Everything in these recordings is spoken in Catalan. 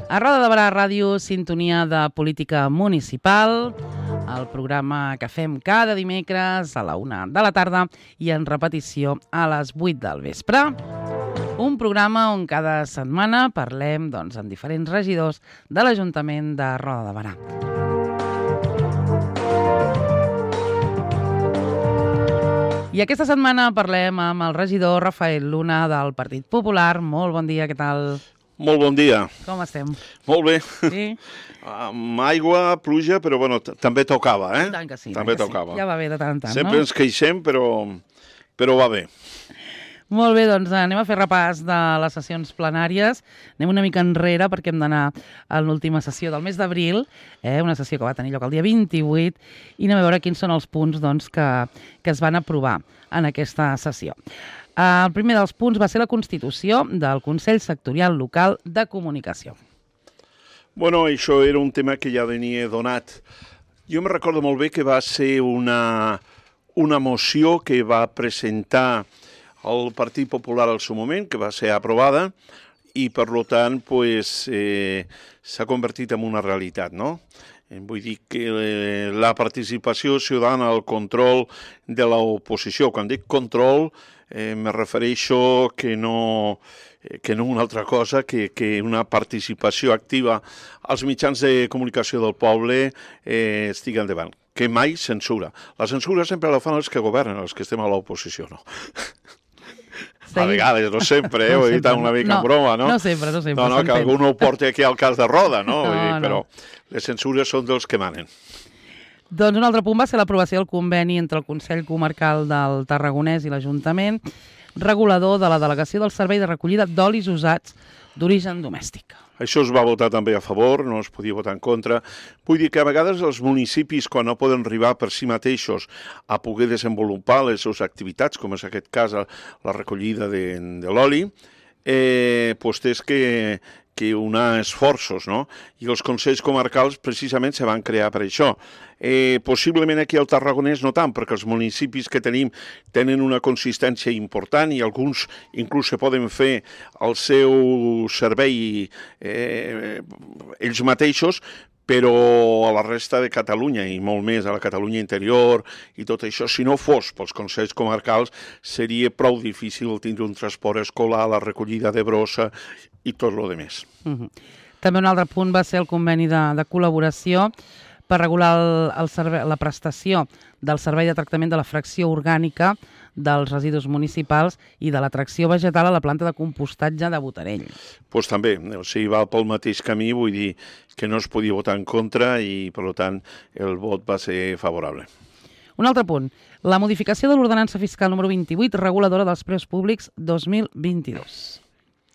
A Roda de Barà Ràdio, sintonia de política municipal, el programa que fem cada dimecres a la 1 de la tarda i en repetició a les 8 del vespre. Un programa on cada setmana parlem amb diferents regidors de l'Ajuntament de Roda de Barà. I aquesta setmana parlem amb el regidor Rafael Luna del Partit Popular. Molt bon dia, què tal? Molt bon dia. Com estem? Molt bé. Sí? Amb aigua, pluja, però bueno, també tocava, eh? I tant que sí. També tocava. Ja va bé de tant en tant, Sempre ens queixem, però va bé. Molt bé, doncs anem a fer repàs de les sessions plenàries. Anem una mica enrere perquè hem d'anar a l'última sessió del mes d'abril, una sessió que va tenir lloc el dia 28, i anem a veure quins són els punts que es van aprovar en aquesta sessió. El primer dels punts va ser la constitució del Consell Sectorial Local de Comunicació. Bueno, això era un tema que ja venia donat. Jo me recordo molt bé que va ser una moció que va presentar el Partit Popular al seu moment, que va ser aprovada, i per tant s'ha convertit en una realitat, no? Vull dir que la participació ciutadana al control de l'oposició, quan dic control, me refereixo que no una altra cosa que una participació activa als mitjans de comunicació del poble estigui endavant, que mai censura. La censura sempre la fan els que governen, els que estem a l'oposició, no? A vegades, no sempre, ho he dit una mica en broma, no? No sempre. No, que algú no ho porti aquí al cas de Roda, no? Però les censures són dels que manen. Doncs un altre punt va ser l'aprovació del conveni entre el Consell Comarcal del Tarragonès i l'Ajuntament, regulador de la delegació del servei de recollida d'olis usats d'origen domèstic. Això es va votar també a favor, no es podia votar en contra. Vull dir que a vegades els municipis, quan no poden arribar per si mateixos a poder desenvolupar les seves activitats, com és aquest cas la recollida de l'oli, tens que unar esforços, no? I els consells comarcals precisament se van crear per això. Possiblement aquí al Tarragonès no tant, perquè els municipis que tenim tenen una consistència important i alguns inclús se poden fer el seu servei ells mateixos, però a la resta de Catalunya i molt més a la Catalunya interior i tot això, si no fos pels consells comarcals, seria prou difícil tindre un transport escolar, la recollida de brossa i tot el demés. També un altre punt va ser el conveni de col·laboració per regular la prestació del servei de tractament de la fracció orgànica dels residus municipals i de l'atracció vegetal a la planta de compostatge de Botarell. Doncs també, o sigui, va pel mateix camí, vull dir que no es podia votar en contra i, per tant, el vot va ser favorable. Un altre punt, la modificació de l'ordenança fiscal número 28, reguladora dels preus públics 2022.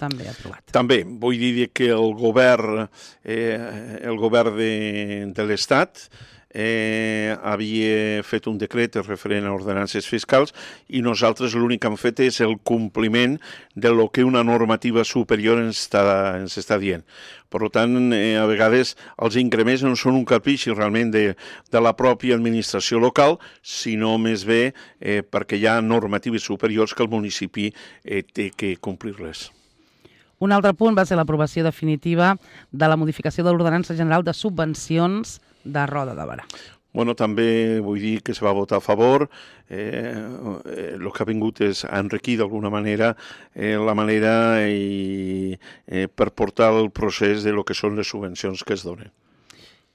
També aprovat. També, vull dir que el govern de l'Estat havia fet un decret referent a ordenances fiscals i nosaltres l'únic que hem fet és el compliment de lo que una normativa superior ens està dient. Per tant, a vegades els increments no són un caprici realment de la pròpia administració local, sinó més bé perquè hi ha normatives superiors que el municipi té que complir-les. Un altre punt va ser l'aprovació definitiva de la modificació de l'Ordenança General de Subvencions de Roda de Barà. Bueno, també vull dir que se va votar a favor. El que ha vingut és enriquir d'alguna manera la manera per portar el procés de lo que són les subvencions que es donen.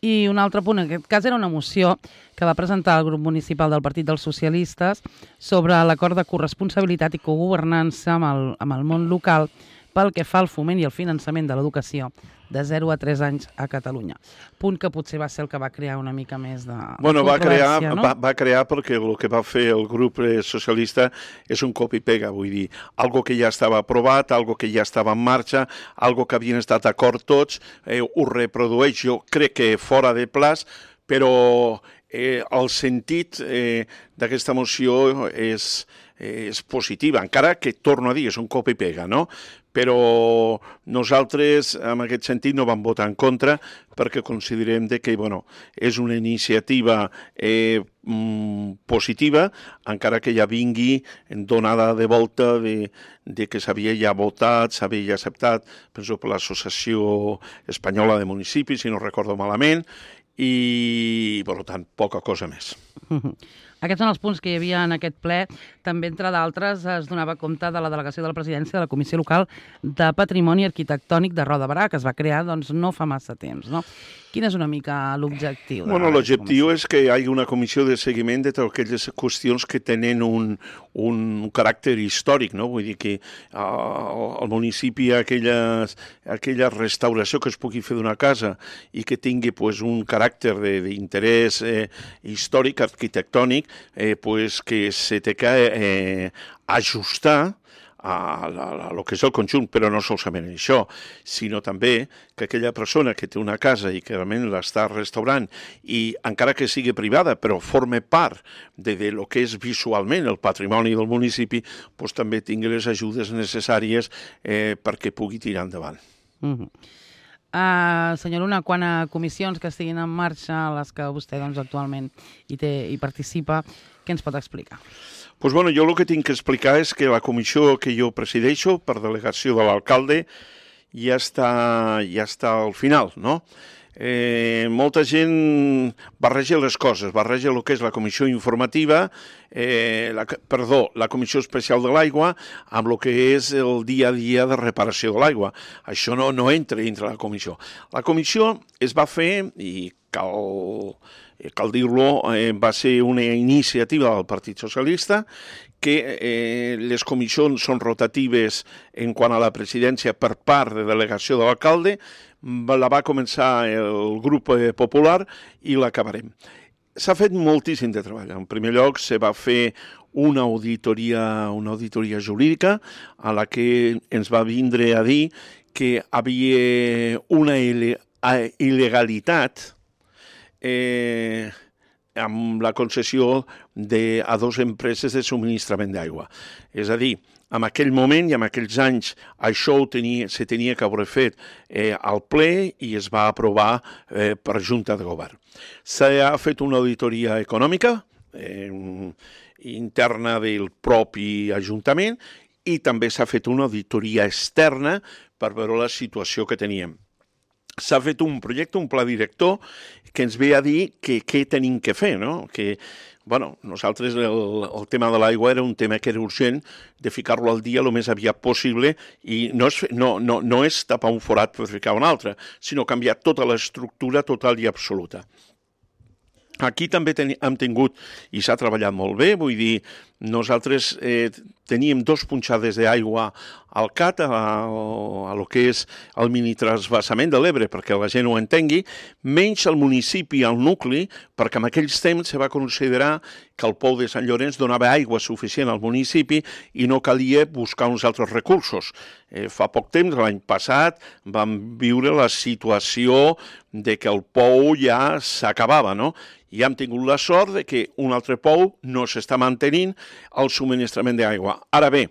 I un altre punt, en aquest cas era una moció que va presentar el grup municipal del Partit dels Socialistes sobre l'acord de corresponsabilitat i cogovernança amb el món local pel que fa al foment i el finançament de l'educació de 0 a 3 anys a Catalunya. Punt que potser va ser el que va crear una mica més de controvèrsia, no? Va crear perquè el que va fer el grup socialista és un copy-pega, vull dir, algo que ja estava aprovat, algo que ja estava en marxa, algo que havien estat d'acord tots, ho reprodueix, jo crec que fora de plaç, però el sentit d'aquesta moció és positiva, encara que, torno a dir, és un copy-pega, no? però nosaltres en aquest sentit no vam votar en contra perquè considerem que és una iniciativa positiva, encara que ja vingui donada de volta de que s'havia ja votat, s'havia ja acceptat, penso per l'Associació Espanyola de Municipis, si no recordo malament, i, per tant, poca cosa més. Aquests són els punts que hi havia en aquest ple. També, entre d'altres, es donava compte de la delegació de la presidència de la Comissió Local de Patrimoni Arquitectònic de Roda de Berà, que es va crear no fa massa temps, no? Quin és una mica l'objectiu? L'objectiu és que hi hagi una comissió de seguiment de totes aquelles qüestions que tenen un caràcter històric, no? Vull dir que al municipi aquella restauració que es pugui fer d'una casa i que tingui un caràcter d'interès històric, arquitectònic, que se té que ajustar a lo que és el conjunt, però no solament això, sinó també que aquella persona que té una casa i que realment l'està restaurant i encara que sigui privada, però forma part de lo que és visualment el patrimoni del municipi, també tingui les ajudes necessàries perquè pugui tirar endavant. Senyor Luna, quant a comissions que estiguin en marxa, les que vostè actualment hi participa, què ens pot explicar? Jo el que tinc que explicar és que la comissió que jo presideixo, per delegació de l'alcalde, ja està al final, no? Molta gent barreja les coses, barreja el que és la comissió informativa, la comissió especial de l'aigua amb el que és el dia a dia de reparació de l'aigua. Això no entra dintre la comissió. La comissió es va fer, i cal dir-lo, va ser una iniciativa del Partit Socialista, que les comissions són rotatives en quant a la presidència per part de delegació de l'alcalde, la va començar el grup popular i l'acabarem. S'ha fet moltíssim de treball. En primer lloc, se va fer una auditoria jurídica a la que ens va vindre a dir que havia una il·legalitat amb la concessió a dues empreses de subministrament d'aigua. És a dir, en aquell moment i en aquells anys això se tenia que haver fet al ple i es va aprovar per Junta de Govern. S'ha fet una auditoria econòmica interna del propi Ajuntament i també s'ha fet una auditoria externa per veure la situació que teníem. S'ha fet un projecte, un pla director, que ens ve a dir què tenim que fer, no? Que, nosaltres el tema de l'aigua era un tema que era urgent de ficar-lo al dia el més aviat possible i no és tapar un forat per ficar un altre, sinó canviar tota l'estructura total i absoluta. Aquí també hem tingut, i s'ha treballat molt bé, vull dir, nosaltres teníem 2 punxades d'aigua al CAT, a lo que és el mini-transvasament de l'Ebre, perquè la gent ho entengui, menys el municipi, el nucli, perquè en aquells temps se va considerar que el pou de Sant Llorenç donava aigua suficient al municipi i no calia buscar uns altres recursos. Fa poc temps, l'any passat, vam viure la situació de que el pou ja s'acabava, no? I hem tingut la sort de que un altre pou no s'està mantenint el subministrament d'aigua. Ara bé,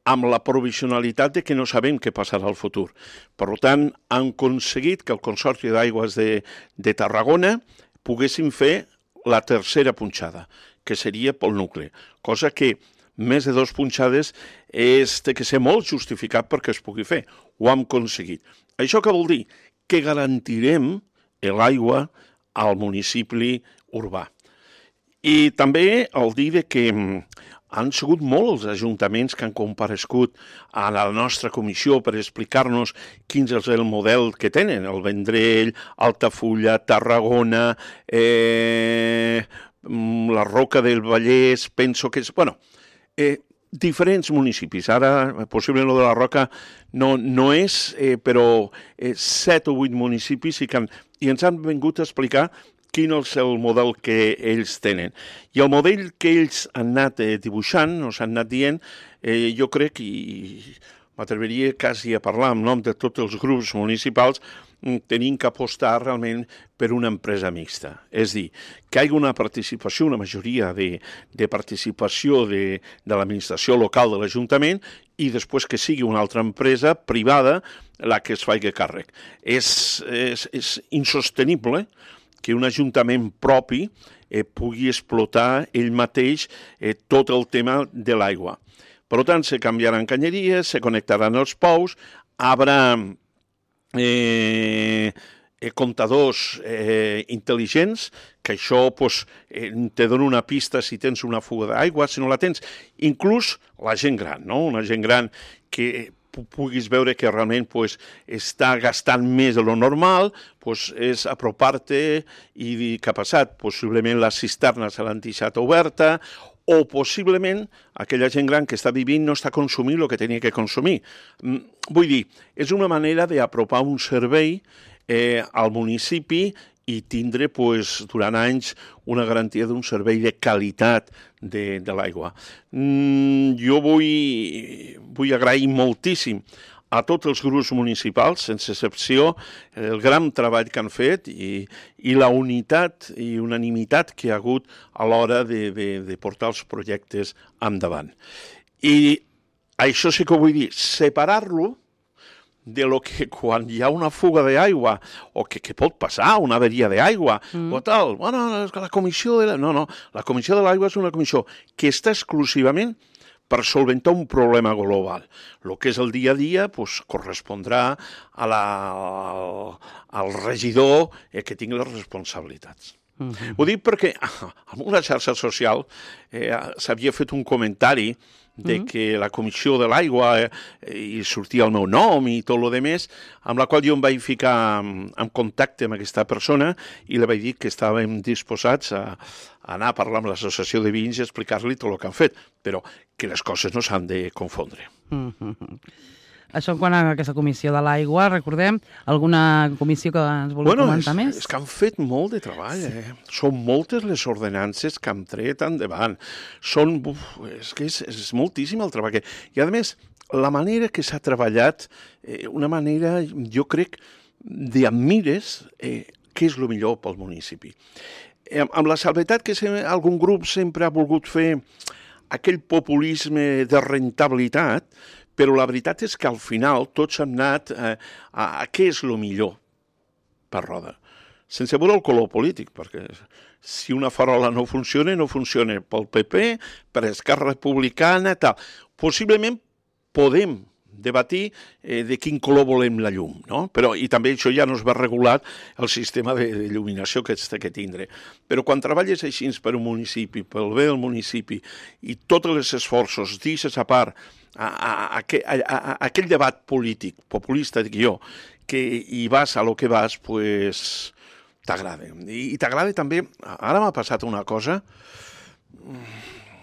amb la provisionalitat de que no sabem què passarà al futur. Per tant, han aconseguit que el Consorci d'Aigües de Tarragona poguessin fer la tercera punxada, que seria pel nucli, cosa que més de 2 punxades té que ser molt justificat perquè es pugui fer. Ho hem aconseguit. Això què vol dir? Que garantirem l'aigua al municipi urbà. I també el dir que han sigut molts els ajuntaments que han comparegut a la nostra comissió per explicar-nos quin és el model que tenen. El Vendrell, Altafulla, Tarragona, la Roca del Vallès, penso que és... diferents municipis. Ara, possiblement, el de la Roca no és, però 7 o 8 municipis i ens han vingut a explicar quin és el model que ells tenen. I el model que ells han anat dibuixant, o s'han anat dient, jo crec, i m'atreviria quasi a parlar en nom de tots els grups municipals, tenim que apostar realment per una empresa mixta. És a dir, que hi hagi una participació, una majoria de participació de l'administració local de l'Ajuntament i després que sigui una altra empresa privada la que es faci càrrec. És insostenible que un ajuntament propi pugui explotar ell mateix tot el tema de l'aigua. Per tant, se canviaran canyeries, se connectaran els pous, haurà comptadors intel·ligents, que això te dona una pista si tens una fuga d'aigua, si no la tens. Inclús la gent gran, no? Una gent gran que puguis veure que realment està gastant més de lo normal, és apropar-te i dir què ha passat. Possiblement la cisterna se l'han deixat oberta, o possiblement aquella gent gran que està vivint no està consumint el que tenia que consumir. Vull dir, és una manera d'apropar un servei al municipi i tindre durant anys una garantia d'un servei de qualitat de l'aigua. Jo vull agrair moltíssim a tots els grups municipals, sense excepció, el gran treball que han fet i la unitat i unanimitat que hi ha hagut a l'hora de portar els projectes endavant. I això sí que ho vull dir, separar-lo de lo que quan hi ha una fuga d'aigua o que pot passar, una averia d'aigua o tal, bueno, la comissió de l'aigua... No, la comissió de l'aigua és una comissió que està exclusivament per solventar un problema global. El que és el dia a dia correspondrà al regidor que tingui les responsabilitats. Ho dic perquè en una xarxa social s'havia fet un comentari de que la comissió de l'aigua i sortia el meu nom i tot el demés, amb la qual jo em vaig ficar en contacte amb aquesta persona i li vaig dir que estàvem disposats a anar a parlar amb l'associació de veïns i explicar-li tot el que han fet, però que les coses no s'han de confondre. Això en quant a aquesta comissió de l'aigua, recordem, alguna comissió que ens vulgui comentar més? És que han fet molt de treball. Són moltes les ordenances que han tret endavant. És moltíssim el treball. I, a més, la manera que s'ha treballat, una manera, jo crec, d'admires què és el millor pel municipi. Amb la salvetat que algun grup sempre ha volgut fer aquell populisme de rentabilitat, però la veritat és que al final tots hem anat a què és el millor per Roda. Sense veure el color polític, perquè si una farola no funciona pel PP, per Esquerra Republicana, tal. Possiblement podem debatir de quin color volem la llum, no? I també això ja no es va regular el sistema d'il·luminació que has de tindre. Però quan treballes així per un municipi, pel bé del municipi, i tots els esforços deixes a part aquell debat polític, populista, dic jo, que hi vas a lo que vas, t'agrada. I t'agrada també, ara m'ha passat una cosa,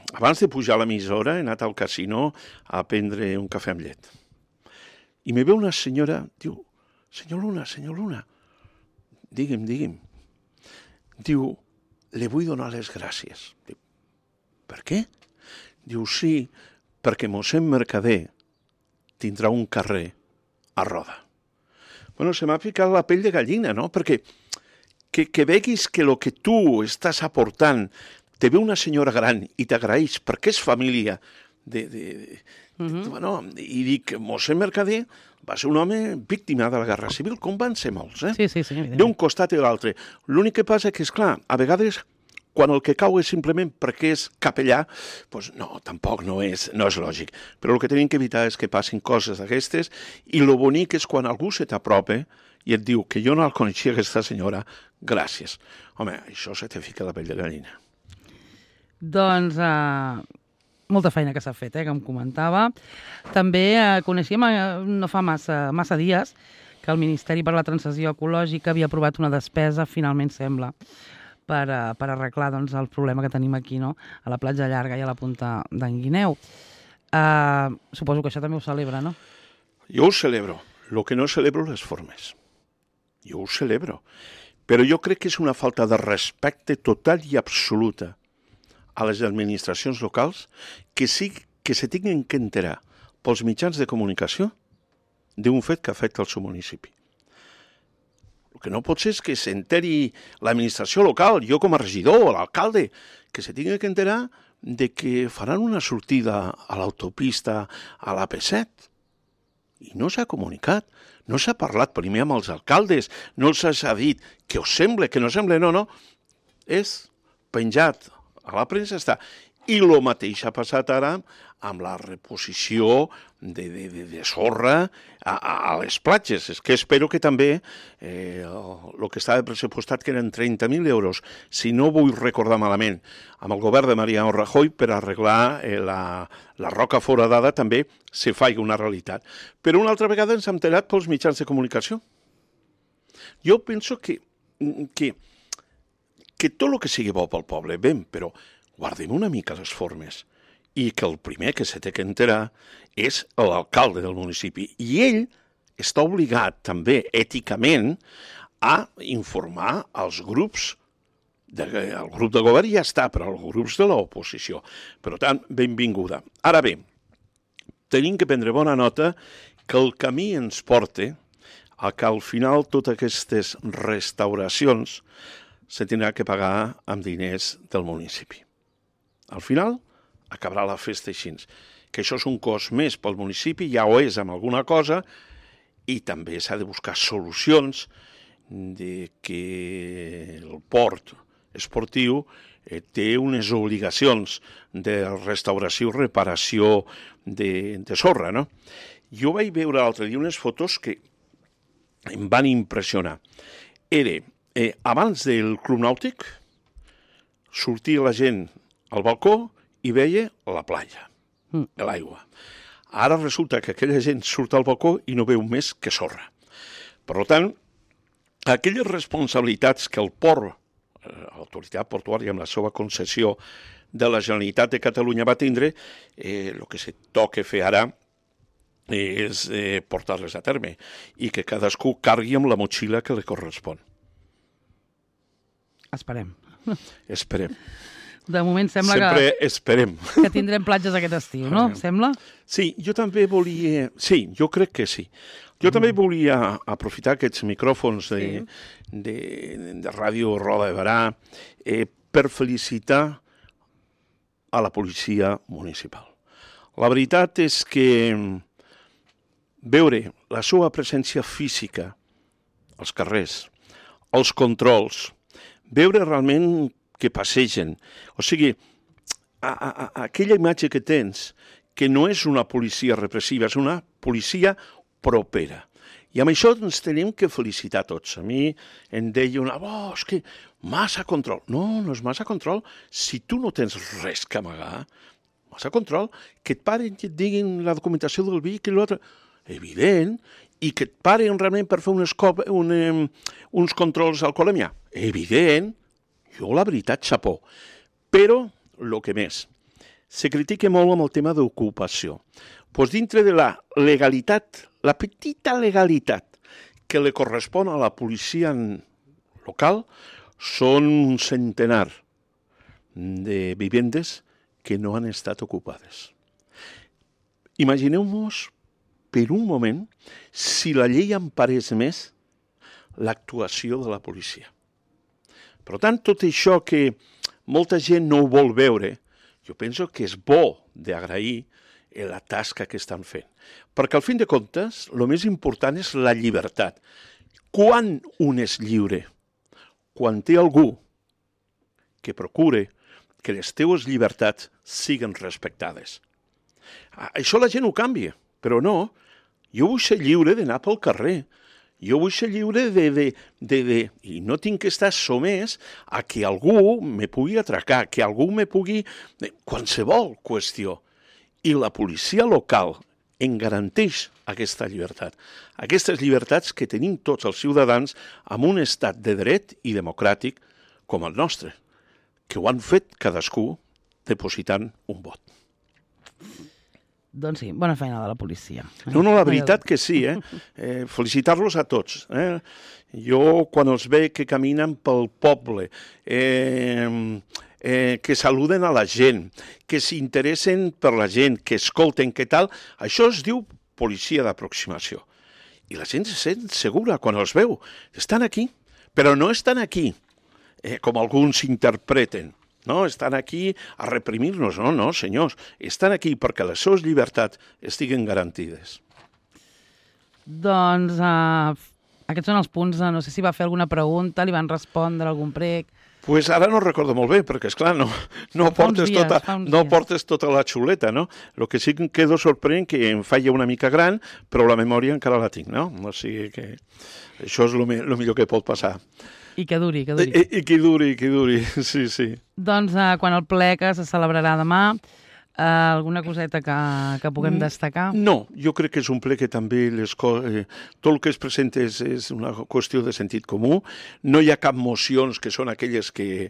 abans de pujar a l'emissora he anat al casino a prendre un cafè amb llet. I me ve una senyora, diu, senyor Luna, digui'm. Diu, le vull donar les gràcies. Diu, per què? Diu, sí, perquè mossèn Mercader tindrà un carrer a Roda. Se m'ha ficat la pell de gallina, no? Perquè que veguis que el que tu estàs aportant te ve una senyora gran i t'agraeix perquè és família i dic, mossèn Mercader va ser un home víctima de la Guerra Civil, com van ser molts, Sí, d'un costat i de l'altre. L'únic que passa que, esclar, a vegades quan el que cau és simplement perquè és capellà, no, tampoc no és lògic. Però el que tenim que evitar és que passin coses d'aquestes i el bonic és quan algú se t'apropa i et diu que jo no el coneixia aquesta senyora, gràcies. Home, això se te fica la pell de gallina. Doncs molta feina que s'ha fet, que em comentava. També coneixíem no fa massa dies que el Ministeri per la Transició Ecològica havia aprovat una despesa, finalment sembla, per arreglar el problema que tenim aquí, no? A la platja llarga i a la punta d'en Guineu. Suposo que això també ho celebra, no? Jo ho celebro. El que no celebro les formes. Jo ho celebro. Però jo crec que és una falta de respecte total i absoluta a les administracions locals que sí que se tinguin que enterar pels mitjans de comunicació d'un fet que afecta el seu municipi. El que no pot ser és que s'enteri l'administració local, jo com a regidor, l'alcalde, que se tingui que enterar de que faran una sortida a l'autopista a l'AP7. I no s'ha comunicat, no s'ha parlat primer amb els alcaldes, no s'ha dit que us sembla, que no sembla, no. És penjat a la premsa, està. I el mateix ha passat ara amb la reposició de sorra a les platges. És que espero que també el que estava pressupostat, que eren 30.000 euros, si no vull recordar malament, amb el govern de Mariano Rajoy per arreglar la roca foradada també se faci una realitat. Però una altra vegada ens hem enterat pels mitjans de comunicació. Jo penso que tot el que sigui bo pel poble, ben, però guardem una mica les formes i que el primer que se té que enterar és l'alcalde del municipi. I ell està obligat també èticament a informar els grups, el grup de govern ja està, però els grups de l'oposició. Per tant, benvinguda. Ara bé, tenim que prendre bona nota que el camí ens porta a que al final totes aquestes restauracions se tindrà que pagar amb diners del municipi. Al final, acabarà la festa així. Que això és un cost més pel municipi, ja ho és amb alguna cosa, i també s'ha de buscar solucions de que el port esportiu té unes obligacions de restauració i reparació de sorra, no? Jo vaig veure l'altre dia unes fotos que em van impressionar. Era, abans del Club Nàutic, sortia la gent al balcó i veia la platja, l'aigua. Ara resulta que aquella gent surt al balcó i no veu més que sorra. Per tant, aquelles responsabilitats que el port, l'autoritat portuària amb la seva concessió de la Generalitat de Catalunya va tindre, el que se toca fer ara és portar-les a terme i que cadascú cargui amb la motxilla que li correspon. Esperem. Esperem. De moment sembla Sempre esperem. Que tindrem platges aquest estiu, no? Sembla? Sí, jo també volia... Sí, jo crec que sí. Jo també volia aprofitar aquests micròfons de Ràdio Roda de Berà per felicitar a la policia municipal. La veritat és que veure la seva presència física als carrers, els controls, veure realment que passegen. O sigui, aquella imatge que tens, que no és una policia repressiva, és una policia propera. I amb això ens tenim que felicitar tots. A mi em deia és que massa control. No, no és massa control. Si tu no tens res que amagar, massa control, que et paren i et diguin la documentació del vehicle i l'altre. Evident. I que et paren realment per fer uns controls alcoholèmia. Evident. Jo, la veritat, xapó. Però, el que més, se critica molt amb el tema d'ocupació. Doncs dintre de la legalitat, la petita legalitat que li correspon a la policia local, són un centenar de vivendes que no han estat ocupades. Imagineu-vos per un moment si la llei emparés més l'actuació de la policia. Per tant, tot això que molta gent no ho vol veure, jo penso que és bo d'agrair la tasca que estan fent. Perquè, al fin de comptes, el més important és la llibertat. Quan un és lliure? Quan té algú que procure que les teues llibertats siguin respectades. Això la gent ho canvia, però no. Jo vull ser lliure d'anar pel carrer. Jo vull ser lliure i no tinc que estar somès a que algú me pugui atracar, que algú me pugui... qualsevol qüestió. I la policia local en garanteix aquesta llibertat. Aquestes llibertats que tenim tots els ciutadans en un estat de dret i democràtic com el nostre, que ho han fet cadascú depositant un vot. Doncs sí, bona feina de la policia. No, la veritat que sí, felicitar-los a tots. Jo, quan els veig que caminen pel poble, que saluden a la gent, que s'interessen per la gent, que escolten, què tal. Això es diu policia d'aproximació. I la gent se sent segura quan els veu. Estan aquí, però no estan aquí, com alguns interpreten. No, estan aquí a reprimir-nos. No, no, senyors. Estan aquí perquè les seves llibertats estiguen garantides. Doncs aquests són els punts. No sé si va fer alguna pregunta, li van respondre algun prec. Pues ara no recordo molt bé, perquè, esclar, no portes tota la xuleta, no? El que sí que em quedo sorprèn que em falla una mica gran, però la memòria encara la tinc, no? O sigui que això és el millor que pot passar. I que duri, que duri. I que duri, sí, sí. Doncs quan el ple que se celebrarà demà, alguna coseta que puguem destacar? No, jo crec que és un ple que també tot el que es presenta és una qüestió de sentit comú. No hi ha cap mocions que són aquelles que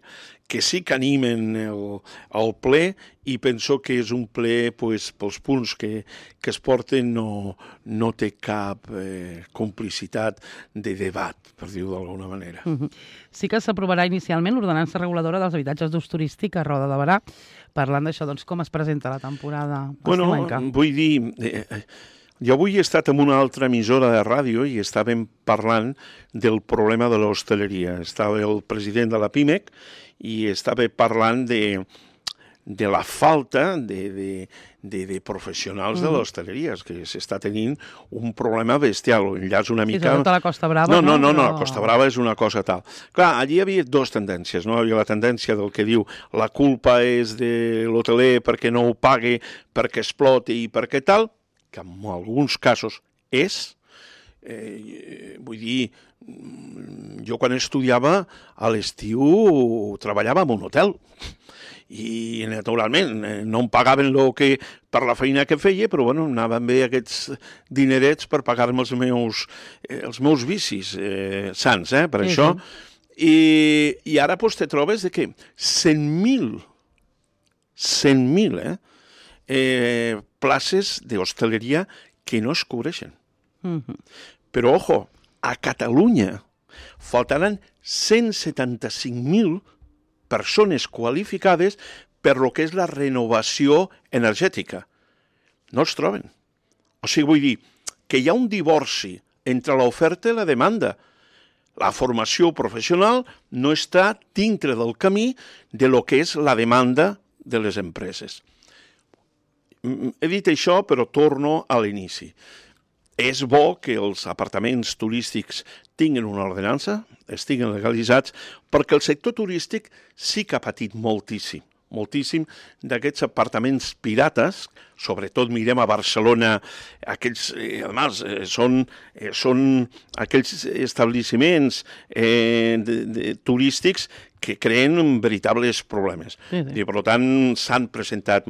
sí que animen el ple, i penso que és un ple, pels punts que es porten, no té cap complicitat de debat, per dir-ho d'alguna manera. Sí que s'aprovarà inicialment l'ordenança reguladora dels habitatges d'ús turístic a Roda de Berà. Parlant d'això, doncs, com es presenta la temporada estiuenca? Vull dir, jo avui he estat en una altra emissora de ràdio i estàvem parlant del problema de l'hostaleria. Estava el president de la PIMEC i estava parlant de la falta de professionals de l'hostaleria, que s'està tenint un problema bestial. Enllaç una mica... Sí, sobretot a la Costa Brava. No, la Costa Brava és una cosa tal. Clar, allí hi havia dues tendències, no? Hi havia la tendència del que diu la culpa és de l'hoteler perquè no ho pague, perquè exploti i perquè tal, que en alguns casos és... vull dir, jo quan estudiava a l'estiu treballava en un hotel i naturalment no em pagaven per la feina que feia, però bueno, anaven bé aquests dinerets per pagar-me els meus vicis sants, per això. I ara doncs te trobes que 100.000 places d'hostaleria que no es cobreixen. Però, ojo, a Catalunya faltaran 175.000 persones qualificades per lo que és la renovació energètica. No es troben. O sigui, vull dir que hi ha un divorci entre l'oferta i la demanda. La formació professional no està dintre del camí de lo que és la demanda de les empreses. He dit això, però torno a l'inici. És bo que els apartaments turístics tinguin una ordenança, estiguen legalitzats, perquè el sector turístic sí que ha patit moltíssim d'aquests apartaments pirates, sobretot mirem a Barcelona, aquells, són aquells establiments turístics que creen veritables problemes. I, per tant, s'han presentat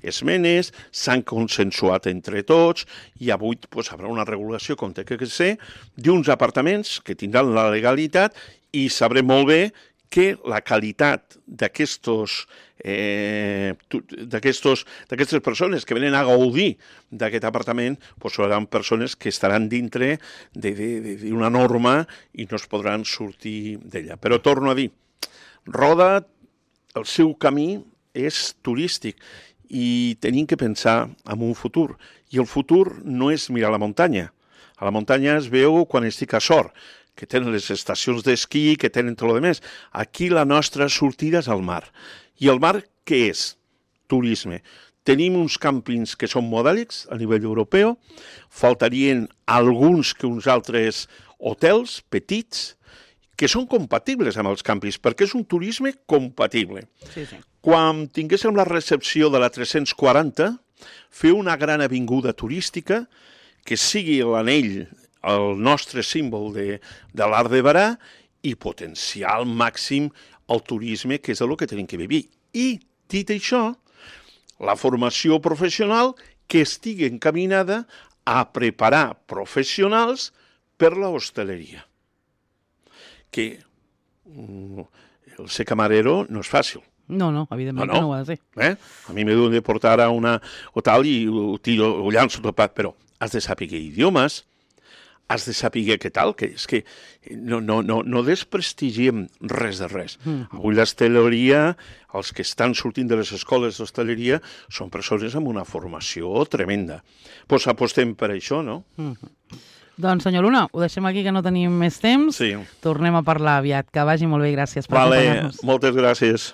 esmenes, s'han consensuat entre tots, i avui hi haurà una regulació, com té que ser, d'uns apartaments que tindran la legalitat, i sabrem molt bé que la qualitat d'aquestes persones que venen a gaudir d'aquest apartament seran persones que estaran dintre d'una norma i no es podran sortir d'ella. Però torno a dir, Roda, el seu camí és turístic i tenim que pensar en un futur. I el futur no és mirar la muntanya. A la muntanya es veu quan estic a Sort, que tenen les estacions d'esquí, que tenen tot el més. Aquí la nostra sortida és al mar. I el mar què és? Turisme. Tenim uns càmpings que són modèlics a nivell europeu, faltarien alguns que uns altres hotels petits, que són compatibles amb els càmpings, perquè és un turisme compatible. Sí. Quan tinguéssim la recepció de la 340, fer una gran avinguda turística que sigui l'anell, el nostre símbol de l'Arc de Berà, i potenciar al màxim el turisme, que és el que tenim que vivir. I, dit això, la formació professional que estigui encaminada a preparar professionals per l'hostaleria. Que el ser camarero no és fàcil. No, evidentment que no ho ha de ser. A mi m'he de portar a una hotel i ho llanço tot, però has de saber idiomes, has de saber què tal, que és que no desprestigiem res de res. Avui l'hostaleria, els que estan sortint de les escoles d'hostaleria, són persones amb una formació tremenda. Doncs apostem per això, no? Doncs, senyor Luna, ho deixem aquí, que no tenim més temps. Sí. Tornem a parlar aviat. Que vagi molt bé, gràcies per acompanyar-nos. Moltes gràcies.